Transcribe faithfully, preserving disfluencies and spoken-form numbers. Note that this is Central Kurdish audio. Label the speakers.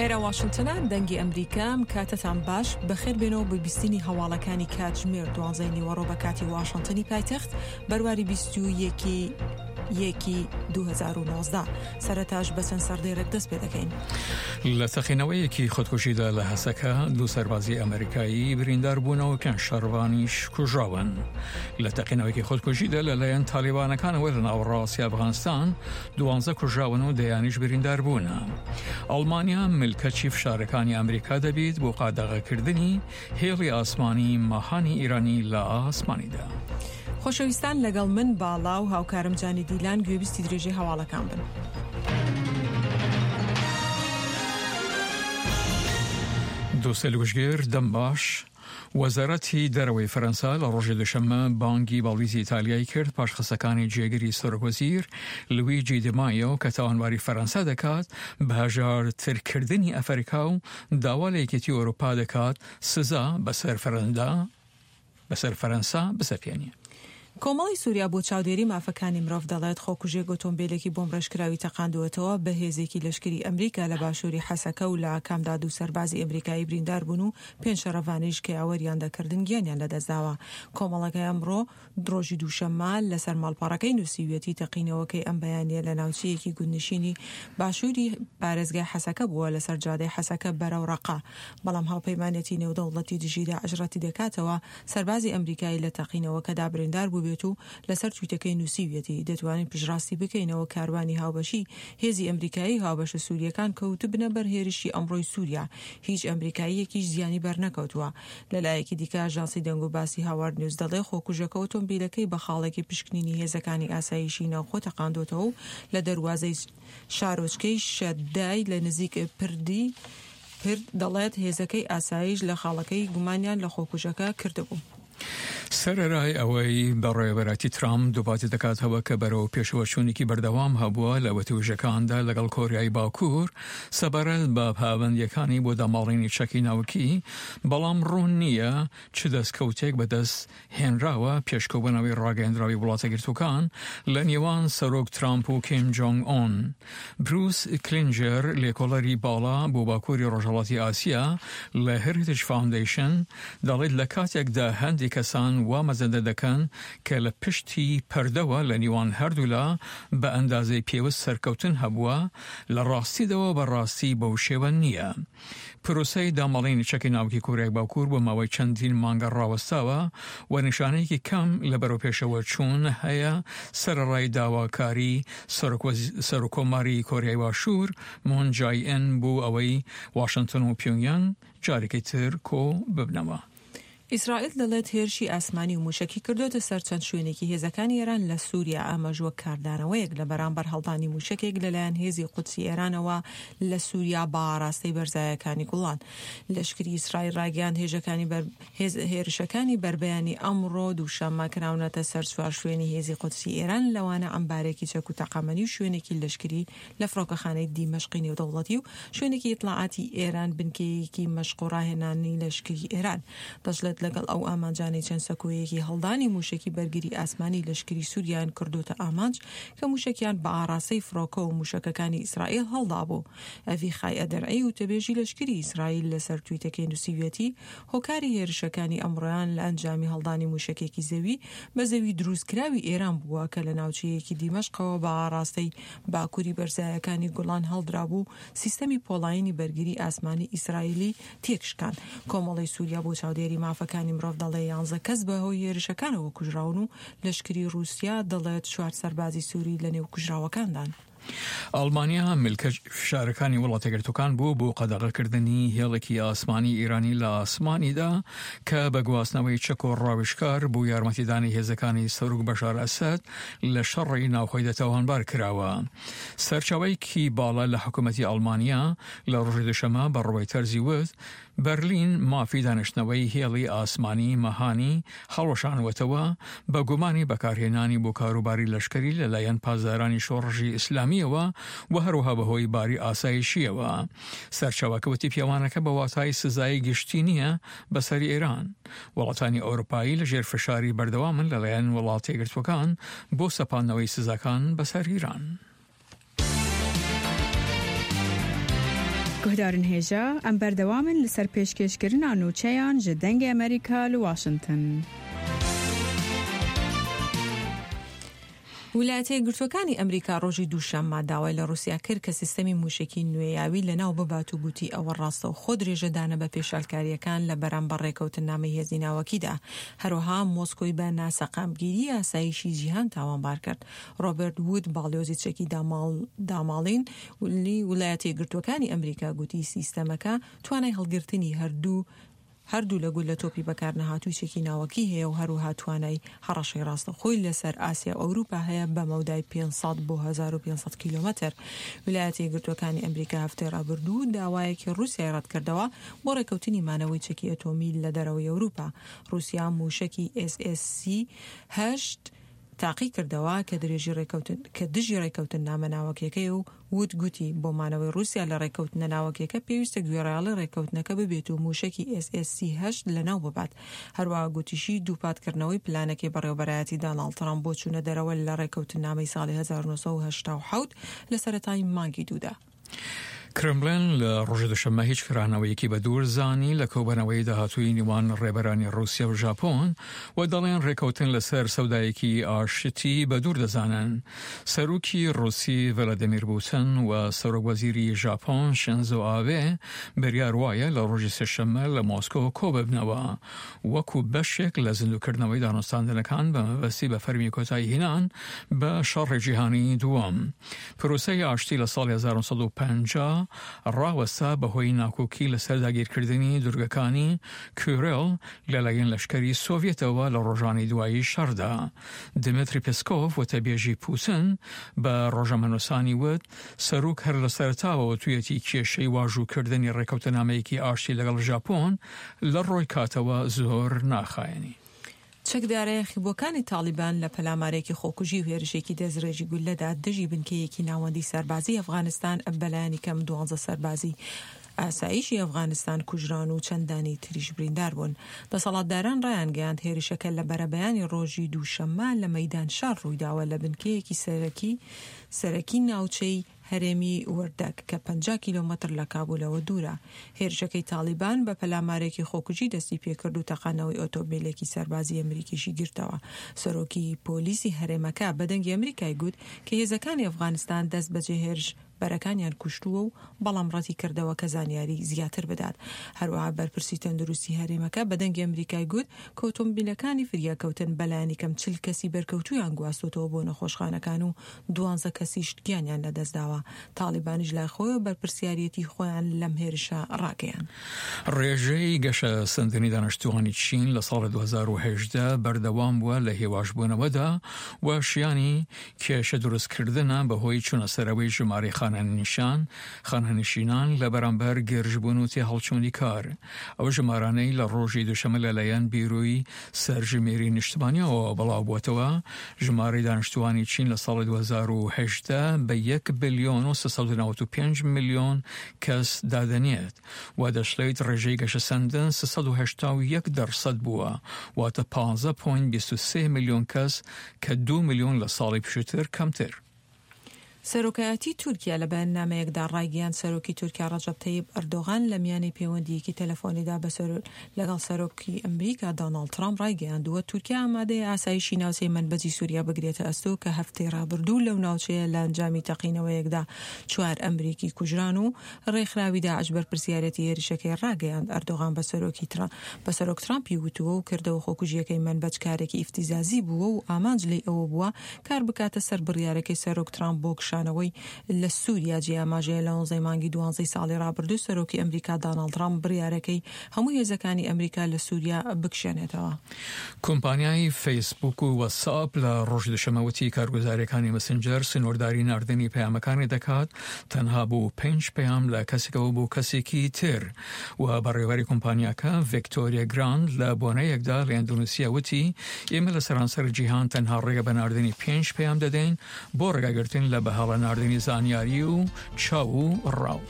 Speaker 1: ئێرە واشنتنە، دەنگی ئەمریکا. کاتتان باش، بەخێر بێنەوە بۆ بیستنی هەواڵەکانی کاتژمێر دوانزەی نیوەڕۆ بە کاتی واشنتنی پایتەخت، بەرواری بیست و یەکی یەکی دوو هەزار و نۆزدە. سەرەتاش بە چەند سەردێڕێک دەست پێ دەکەین.
Speaker 2: لە تەقینەوەیەکی خودکوژیدا لە هەسەکە دوو سەربازی ئەمریکایی بریندار بوونەوە، پێنج شەڕڤانیش کوژراون. لە تەقینەوەیەکی خودکوژیدا لەلایەن تالیبانەکانەوە لە ناوەڕاستی ئەفغانستان دوانزە کوژراون و دەیانیش بریندار بوونە. ئەڵمانیا ملکەچی فشارەکانی ئەمریکا دەبیت بۆ قادەغەکردنی هێڵی ئاسمانی ماهانی ئیرانی لە ئاسمانیدا.
Speaker 1: خۆشەویستان، لەگەڵ من باڵا و هاوکارم جانی دیلان گوێبیستی درێژەی هەواڵەکان بن.
Speaker 2: دووسێ لوشگێر دەم باش. وەزارەتی دەرەوەی فەرەنسا لە ڕۆژی دوشەممە بانگی باڵویزی ئیتالیای کرد پاش قسەکانی جێگری سەرۆکوەزیر لویجی دیمایۆ کە تاوانباری فەرەنسا دەکات بە هەژارترکردنی ئەفریکا و داوا لە یەکێتی ئەوروپا دەکات سزا بەسەر فەرەندا بەسەر فەرەنسا بسەپێنێ.
Speaker 1: کۆمەڵی سووریا بۆ چاودێری مافەکانی مرۆڤ دەڵێت خۆکوژێک ئۆتۆمبیلێکی بۆمبڕێژکراوی تەقاندووەتەوە بە هێزێکی لەشکری ئەمریکا لە باشووری حەسەکە و لە ئاکامدا دوو سەربازی ئەمریکایی بریندار بوون و پێنج شەڕەڤانیش کە یاوەریان دەکردن گیانیان لەدەستداوە. کۆمەڵەکەی ئەمڕۆ ڕۆژی دووشەممە لەسەر ماڵپەڕەکەی نووسیویەتی تەقینەوەکەی ئەم بەیانیە لە ناوچەیەکی گوندنشینی باشووری پارێزگای حەسەکە بووە لەسەر جادەی حەسەکە بەرەو ڕەقە، بەڵام هاوپەیمانێتی نێودەوڵەتی دژی داعش ڕەتی دەکاتەوە سەربازی ئەمریکایی لە تەقینەوەکەدا بریندار بوو بێت و لەسەر تویتەکەی نووسیویەتی دەتوانین پشتڕاستی بکەینەوە کاروانی هاوبەشی هێزی ئەمریکایی هاوبەشە سووریەکان کەوتبنە بەر هێرشی ئەمڕۆی سووریا، هیچ ئەمریکاییەکیش زیانی بەرنەکەوتووە. لەلایەکی دیکە ئاژانسی دەنگ و باسی هاوارد نیوز دەڵێ خۆکوژەکە ئۆتۆمبیلەکەی بە خاڵێکی پشکنینی هێزەکانی ئاسایشی ناوخۆ تەقاندۆتەوە و لە دەروازەی شارۆچکەی شەدای لە نزیک پردی پرد دەڵێت هێزەکەی ئاسایش لە خاڵەکەی گومانیان لە خۆکوژەکە کردبوو.
Speaker 2: سەرەرای ئەوەی بەڕێوەبەرایەتی ترامپ دووپاتی دەکاتەوە کە بەرەو پێشەوەچوونێکی بەردەوام هەبووە لە وتوێژەکاندا لەگەڵ کۆریای باکوور سەبارەت بە پابەندیەکانی بۆ داماڵینی چەکی ناوکی، بەڵام ڕوون نییە چ دەستکەوتێک بەدەست هێنراوە پێشکەوبوونەوەی ڕاگەیەندراوی وڵاتە گرتووەکان لە نێوان سەرۆک ترامپ و کیم جۆنگ ئۆن. بروس کلینجەر لێکۆڵەری باڵا بۆ باکووری ڕۆژهەڵاتی ئاسیا لە هێریتج فاوندەیشن دەڵێت لە کاتێکدا هەندێک کەسان وا مەزەندە دەکەن کە لە پشتی پەردەوە لە نێوان هەردوولا بە ئەندازەی پێویست سەرکەوتن هەبووە، لە ڕاستیدەوە بەڕاستی بەو شێوە نییە. پرۆسەی داماڵینی چەکی ناوکی کۆریای باکوور بۆ ماوەی چەندین مانگە ڕاوەستاوە و نیشانەیەکی کەم لە بەرەوپێشەوە چوون هەیە، سەرەڕای داواکاری سەرۆککۆماری کۆریای باشوور مون جای ئین بۆ ئەوەی واشنتن و پیۆنگیانگ جارێکی تر کۆ ببنەوە.
Speaker 1: ئیسرائیل دەڵێت هێرشی ئاسمانی و موشەکی کردوتە سەر چەند شوێنێکی هێزەکانی ئێران لە سووریا، ئەمەش وەک کاردانەوەیەک لە بەرامبەر هەڵدانی موشەکێک لەلایەن هێزی قودسی ئێرانەوە لە سووریا بە ئاراستەی بەرزایەکانی گوڵان. لەشکری ئیسرائیل ڕاگەیاند هێرشەکانی بەربەیانی ئەمڕۆ دووشەممە کراونەتە سەر چوار شوێنی هێزی قودسی ئێران، لەوانە ئەمبارێکی چەک و تەقەمەنی و شوێنێکی لەشکری لە فڕۆکەخانەی دیمەشقی نێودەوڵەتی و شوێنێکی ئیتلاعاتی ئێران، بنکەیەکی مەشق و ڕاهێنانی لەشکری ئێران. دەشڵێت لەگەڵ ئەو ئامانجانەی چەند سەکۆیەکی هەڵدانی موشەکی بەرگری ئاسمانی لەشکری سووریان کردوتە ئامانج کە موشەکیان بە ئاراستەی فڕۆکە و موشەکەکانی ئیسرائیل هەڵدابوو. ئەڤیخای ئەدرعی و تەبێژی لەشکری ئیسرائیل لەسەر تویتەکەی نووسیویەتی هۆکاری هێرشەکانی ئەمڕۆیان لە ئەنجامی هەڵدانی موشەکێکی زەوی بە زەوی دروستکراوی ئێران بووە کە لە ناوچەیەکی دیمەشقەوە بە ئاراستەی باکووری بەرزایەکانی گوڵان هەڵدرابوو، سیستەمی پۆڵایینی بەرگری ئاسمانی ئیسرائیلی تێکشکان. کۆمەڵی سووریا بۆ چاودێری مافەکانی مرۆڤ دەڵێ یانزە کەس بەهۆی هێرشەکانەوە کوژراون و لەشکری ڕووسیا دەڵێت چوار سەربازی سووری لەنێو کوژراوەکاندان.
Speaker 2: ئەڵمانیا ملکەچ فشارەکانی وڵاتەگرتوەکان بوو بۆ قەدەغەکردنی هێڵێکی ئاسمانی ئێرانی لە ئاسمانیدا کە بە گواستنەوەی چەک و ڕاویشکار بۆ یارمەتیدانی هێزەکانی سەرۆک بەشار ئەسەد لە شەڕی ناوخۆیدا تاوانبار کراوە. سەرچاوەیەکی باڵا لە حکوومەتی ئەڵمانیا لە ڕۆژی دوشەممە بە ڕۆیتەرزی وت بەرلین مافی دانیشتنەوەی هێڵی ئاسمانی مەهانی هەڵوەشانوەتەوە بە گومانی بەکارهێنانی بۆ کاروباری لەشکری لەلایەن پاسدارانی شۆڕشی ئیسلامیەوە و هەروەها بەهۆی باری ئاسایشیەوە. سەرچاوەکە وتی پێوانەکە بە واتای سزای گشتی نییە بەسەر ئێران. وڵاتانی ئەوروپایی لەژێر فشاری بەردەوامن لەلایەن وڵاتە یەکگرتووەکان بۆ سەپاندنەوەی سزاکان بەسەر ئێران.
Speaker 3: Guhdarên hêja em berdewam in li ser pêşkêşkirina nûçeyan ji Dengê Amerîka li Washington.
Speaker 1: ویلایەتە یەکگرتووەکانی ئەمریکا ڕۆژی دووشەممە داوای لە ڕووسیا کرد کە سیستەمی موشکی نوێیاوی لەناو ببات و گوتی ئەوە ڕاستەوخۆ درێژەدانە بە پێشالکاریەکان لە بەرامبەر ڕێکەوتنامەی هێزی ناوەکیدا. هەروەها مۆسکۆی بە ناسەقامگیری ئاسایشی جیهان تاوانبار کرد. ڕۆبەرت وود باڵیۆزی چەکی داماڵین ویلایەتە یەکگرتووەکانی ئەمریکا گوتی سیستەمەکە توانای هەڵگرتنی هەردوو هەردوو لە گولە تۆپی بەکارنەهاتووی چەکی ناوەکی هەیە و هەروەها توانای هەڕەشەی ڕاستەوخۆی لەسەر ئاسیا و ئەوروپا هەیە بە مەودای پێنج سەد بۆ هەزار و پێنج سەد کیلۆمەتر. ویلایەتە یەکگرتووەکانی ئەمریکا هەفتەی ڕابردوو داوایەکی ڕووسیای ڕەتکردەوە بۆ ڕێکەوتنی مانەوەی چەکی ئەتۆمی لە دەرەوەی ئەوروپا. ڕووسیا موشکی ئێس ئێس سی هەشت تاقی کردەوە کە درێژی ڕێکەوتن کە دژی ڕێکەوتن نامە ناوەکیەکەی و وت گوتی بۆ مانەوەی ڕووسیا لە ڕێکەوتنە ناوەکیەکە پێویستە گوێڕایەڵی ڕێکەوتنەکە ببێت و موشکی ئێس ئێس سی هەشت لەناو ببات. هەروەها گوتیشی دووپاتکردنەوەی پلانەکەی بەڕێوەبەرایەتی داناڵد ترامپ بۆ چوونە دەرەوە لە ڕێکەوتنامەی ساڵی هەزار و نۆ سەد و هەشتا و حەوت لە سەرەتای مانگی دوودا.
Speaker 2: کرملین لە ڕۆژی دوشەممە هیچ کرانەوەیەکی بە دوور زانی لە کۆبەنەوەی داهاتووی نێوان ڕێبەرانی ڕووسیا و ژاپۆن و دەڵێن ڕێکەوتن لەسەر سەودایەکی ئاشتی بە دوور دەزانن. سەرۆکی ڕووسی ڤلادیمیر پوتین و سەرۆک وەزیری ژاپۆن شینزۆ ئابێ بڕیار وایە لە ڕۆژی سێشەممە لە مۆسکۆ کۆ ببنەوە وەکو بەشێک لە زیندووکردنەوەی دانوستاندنەکان بە مەبەستی بە فەرمی کۆتایی هێنان بە شەڕی جیهانی دووەم. پرۆسەی ئاشتی لە ساڵی هەزار و نۆ سەد و پەنجا ڕاوەستا بەهۆی ناکۆکی لەسەر داگیرکردنی دوورگەکانی کورێل لەلایەن لەشکری سۆڤێتەوە لە ڕۆژانی دوایی شەڕدا. دمیتری پسکۆف وتەبێژی پوتن بە ڕۆژنامەنووسانی وت سەرۆک هەر لە سەرەتاوە تویەتی کێشەی واژووکردنی ڕێکەوتنامەیەکی ئاشتی لەگەڵ ژاپۆن لە ڕۆی کاتەوە زۆر ناخایەنی.
Speaker 1: چەکدارە یاخیبووەکانی تاڵیبان لە پەلامارێکی خۆکوژی و هێرشێکی دەستڕێژی گولەدا دژی بنکەیەکی ناوەندی سەربازی ئەفغانستان بەلایەنی کەم دوانزە سەربازی ئاسایشی ئەفغانستان کوژران و چەندانی تریش بریندار بوون. دەسەڵاتداران ڕایانگەیاند هێرشەکە لە بەرەبەیانی ڕۆژی دووشەممە لە مەیدان شار ڕوویداوە لە بنکەیەکی سەرەکی سەرەکی ناوچەی هەرێمی وەردەک کە پەنجا کیلۆمەتر لە کابولەوە دوورە. هێرشەکەی تاڵیبان بە پەلامارێکی خۆکوژی دەستی پێکرد و تەقانەوەی ئۆتۆمبیلێکی سەربازی ئەمریکیشی گرتەوە. سەرۆکی پۆلیسی هەرێمەکە بە دەنگی ئەمریکای گوت کە هێزەکانی ئەفغانستان دەست بەجێ هێرش بەرەکانیان کوشتووە و بەڵام ڕەتی کردەوە کە زانیاری زیاتر بدات. هەروەها بەرپرسی تەندروستی هەرێمەکە بە دەنگی ئەمریکای گوت کە ئۆتۆمبیلەکانی فریاکەوتن بەلایەنی کەم چل کەسی بەرکەوتویان گواستۆتەوە بۆ نەخۆشخانەکان و دوانزە کەسیش گیانیان لەدەستداوە. تاڵیبانیش لای خۆیەوە بەرپرسیارێتی خۆیان لەم هێرشە ڕاگەیاند.
Speaker 2: ڕێژەی گەشەسەندنی دانیشتووانی چین لە ساڵی دوو هەزار و هەژدە بەردەوام بووە لە هێواشبوونەوەدا و شیانی کێشە دروستکردنە بەهۆی چوونە سەرەوەی ژمارەی خانەنشان خانەنشینان لە بەرامبەر گرژبوون و تێهەڵچوونی کار. ئەو ژمارانەی لە ڕۆژی دووشەممە لەلایەن بیرۆی سەرژمێری نیشتمانیەوە بڵاو بووەتەوە ژمارەی دانیشتووانی چین لە ساڵی دوو هەزار و هەژدە بە یەک بلیۆن و سێ سەد و نەوەد و پێنج ملیۆن کەس دادەنێت و دەشڵێت ڕێژەی گەشەسەندن سێ سەد و هەشتا و یەک دەرسەد بووە، واتە پازدە پۆینت بیست و سێ ملیۆن کەس کە دوو ملیۆن لە ساڵی پێشووتر کەمتر.
Speaker 1: سەرۆکایەتی تورکیا لە بەیاننامەیەکدا ڕایگەیاند سەرۆکی تورکیا ڕەجەب تەیب ئەردۆغان لە میانەی پەیوەندییەکی تەلەفۆنیدا لەگەڵ سەرۆکی ئەمریکا دۆناڵد ترامپ ڕایگەیاندووە تورکیا ئامادەیە ئاسایشی ناوچەی مەنبەجی سووریا بگرێتە ئەستۆ کە هەفتەی ڕابردوو لەو ناوچەیە لە ئەنجامی تەقینەوەیەکدا چوار ئەمریکی کوژران و ڕێکخراوی داعش بەرپرسیارەتی هێرشەکەی ڕاگەیاند. ئەردۆغان بە سەرۆکی بە سەرۆک ترامپی وتووە و کردەوە خۆکوژیەکەی مەنبەج کارێکی ئیفتیزازی بووە و ئامانج لێی ئەوە بووە کار بکاتە سەر بڕیارەکەی سەرۆک ترامپ بۆ کشانەوەی لە سووریا. جێ ئاماژەیە لە نۆزدە مانگی دوانزەی ساڵی ڕابردوو سەرۆکی ئەمریکا داناڵد ترامپ بڕیارەکەی هەموو هێزەکانی ئەمریکا لە سووریا بکشێنێتەوە.
Speaker 2: کۆمپانیای فەیسبوک و واتساپ لە ڕۆژی دوشەممە وتی کارگوزاریەکانی مسنجەر سنوورداری ناردنی پەیامەکانی دەکات تەنها بۆ پێنج پەیام لە کەسێکەوە بۆ کەسێکی تر و بەڕێوەری کۆمپانیاکە ڤیکتۆریا گراند لە بۆنەیەکدا لە ئەندۆنیسیا وتی ئێمە لە سەرانسەر جیهان تەنها ڕێگە بە ناردنی پێنج پەیام دەدەین بۆ ڕێگاگرتن لە بەهەڵە ناردنی زانیاری و چاو و ڕاو.